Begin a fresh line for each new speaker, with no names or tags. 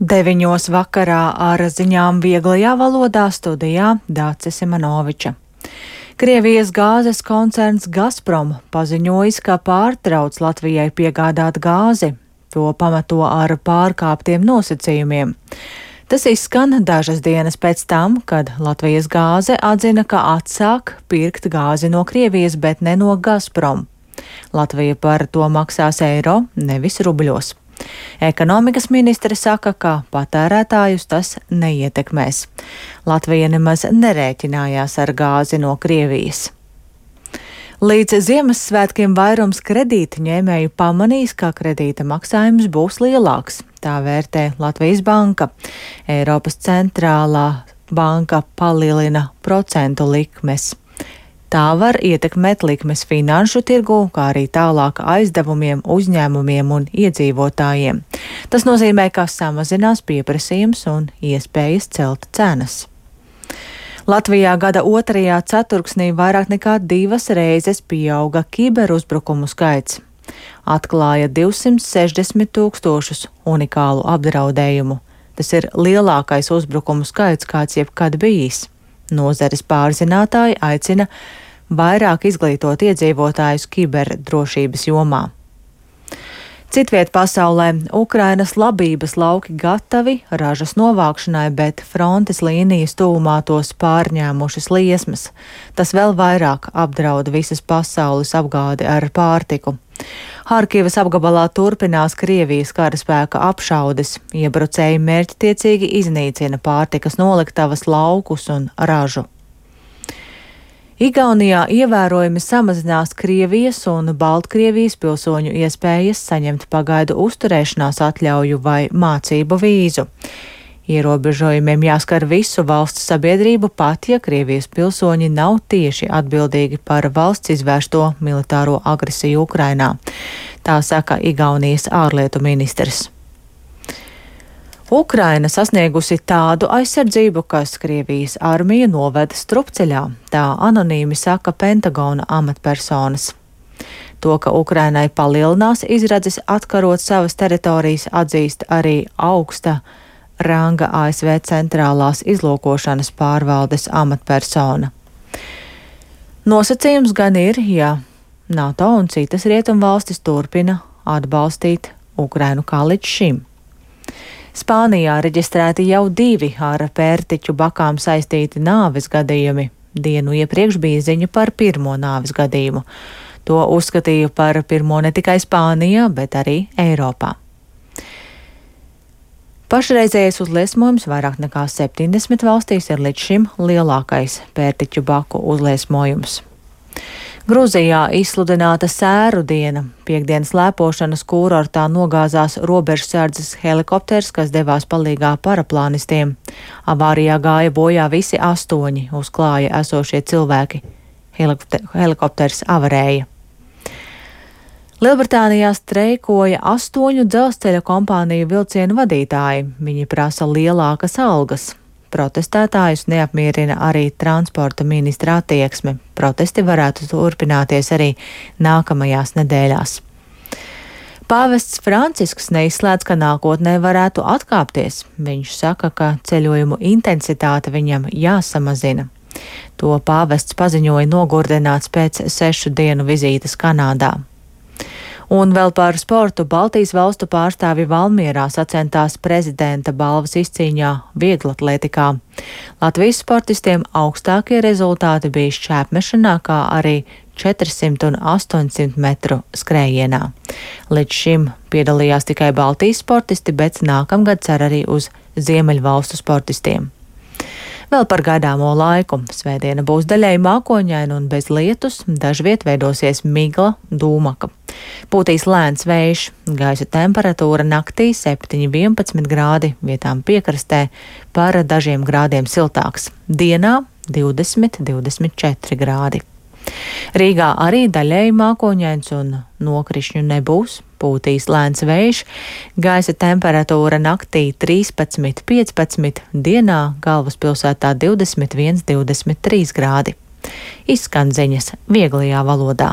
9 vakarā ar ziņām vieglajā valodā studijā Dācis Simanoviča. Krievijas gāzes koncerns Gazprom paziņojis, ka pārtrauc Latvijai piegādāt gāzi. To pamato ar pārkāptiem nosacījumiem. Tas izskan dažas dienas pēc tam, kad Latvijas gāze atzina, ka atsāk pirkt gāzi no Krievijas, bet ne no Gazprom. Latvija par to maksās eiro, nevis rubļos. Ekonomikas ministre saka, ka patērētājus tas neietekmēs. Latvija nemaz nerēķinājās ar gāzi no Krievijas. Līdz Ziemassvētkiem vairums kredītņēmēju pamanīs, ka kredīta maksājums būs lielāks. Tā vērtē Latvijas banka. Eiropas centrālā banka palielina procentu likmes. Tā var ietekmēt likmes finanšu tirgu, kā arī tālāk aizdevumiem, uzņēmumiem un iedzīvotājiem. Tas nozīmē, ka samazinās pieprasījums un iespējas celt cenas. Latvijā gada otrajā ceturksnī vairāk nekā 2 reizes pieauga kiberuzbrukumu skaits. Atklāja 260 000 unikālu apdraudējumu. Tas ir lielākais uzbrukumu skaits, kāds jebkad bijis. Nozares pārzinātāji aicina vairāk izglītot iedzīvotājus kiberdrošības jomā. Citviet pasaulē Ukrainas labības lauki gatavi ražas novākšanai, bet frontes līnijas tuvumā tos pārņēmušas liesmas. Tas vēl vairāk apdraud visas pasaules apgādi ar pārtiku. Harkivas apgabalā turpinās Krievijas karaspēka apšaudes. Iebrucēji mērķtiecīgi iznīcina pārtikas noliktavas, laukus un ražu. Igaunijā ievērojami samazinās Krievijas un Baltkrievijas pilsoņu iespējas saņemt pagaidu uzturēšanās atļauju vai mācību vīzu. Ierobežojumiem jāskar visu valsts sabiedrību, pat ja Krievijas pilsoņi nav tieši atbildīgi par valsts izvērsto militāro agresiju Ukrainā. Tā saka Igaunijas ārlietu ministrs. Ukraina sasniegusi tādu aizsardzību, kas Krievijas armija noveda strupceļā, tā anonīmi saka Pentagona amatpersonas. To, ka Ukrainai palielinās izredzes atkarot savas teritorijas, atzīst arī augsta ranga ASV centrālās izlūkošanas pārvaldes amatpersona. Nosacījums gan ir, ja NATO un citas rietumvalstis turpina atbalstīt Ukrainu kā līdz šim. Spānijā reģistrēti jau 2 ar pērtiķu bakām saistīti nāves gadījumi. Dienu iepriekš bija ziņa par pirmo nāves gadījumu. To uzskatīja par pirmo ne tikai Spānijā, bet arī Eiropā. Pašreizējais uzliesmojums vairāk nekā 70 valstīs ir līdz šim lielākais pērtiķu baku uzliesmojums. Gruzijā izsludināta sēru diena. Piektdienas slēpošanas kūrortā nogāzās robežsardzes helikopters, kas devās palīgā paraplānistiem. Avārijā gāja bojā visi 8 uz klāja esošie cilvēki. Helikopters avarēja. Lielbritānijā streikoja 8 dzelzceļa kompāniju vilcienu vadītāji. Viņi prasa lielākas algas. Protestētājus neapmierina arī transporta ministra attieksme. Protesti varētu turpināties arī nākamajās nedēļās. Pāvests Francisks neizslēdz, ka nākotnē varētu atkāpties. Viņš saka, ka ceļojumu intensitāte viņam jāsamazina. To pāvests paziņoja nogurdināts pēc 6 dienu vizītes Kanādā. Un vēl par sportu Baltijas valstu pārstāvi Valmierā sacentās prezidenta balvas izcīņā vieglatlētikā. Latvijas sportistiem augstākie rezultāti bija šķēpmešanā, kā arī 400 un 800 metru skrējienā. Līdz šim piedalījās tikai Baltijas sportisti, bet nākamgad cer arī uz Ziemeļvalstu sportistiem. Vēl par gaidāmo laiku. Svētdiena būs daļēji mākoņaina un bez lietus, dažviet veidosies migla, dūmaka. Pūtīs lēns vējš, gaisa temperatūra naktī 7–11 grādi, vietām piekrastē par dažiem grādiem siltāks. Dienā 20–24 grādi. Rīgā arī daļēji mākoņains un nokrišņu nebūs. Pūtīs lēns vējš, gaisa temperatūra naktī 13–15, dienā galvaspilsētā 21–23 grādi. Izskan ziņas vieglajā valodā.